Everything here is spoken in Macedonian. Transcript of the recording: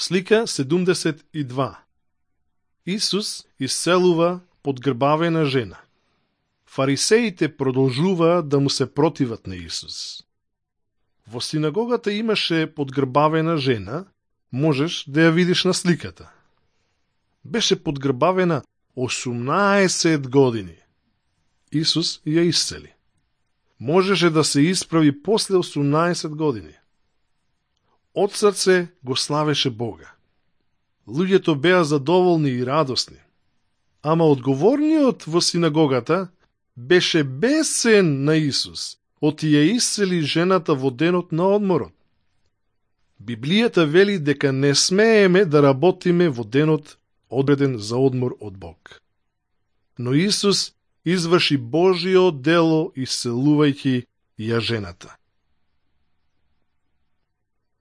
Слика 72. Исус исцелува подгрбавена жена. Фарисеите продолжуваат да му се противат на Исус. Во синагогата имаше подгрбавена жена, можеш да ја видиш на сликата. Беше подгрбавена 18 години. Исус ја исцели. Можеше да се исправи после 18 години. Од срце го славеше Бога. Луѓето беа задоволни и радосни. Ама одговорниот во синагогата беше бесен на Исус, оти ја исцели жената во денот на одморот. Библијата вели дека не смееме да работиме во денот одреден за одмор од Бог. Но Исус изврши Божио дело исцелувајќи ја жената.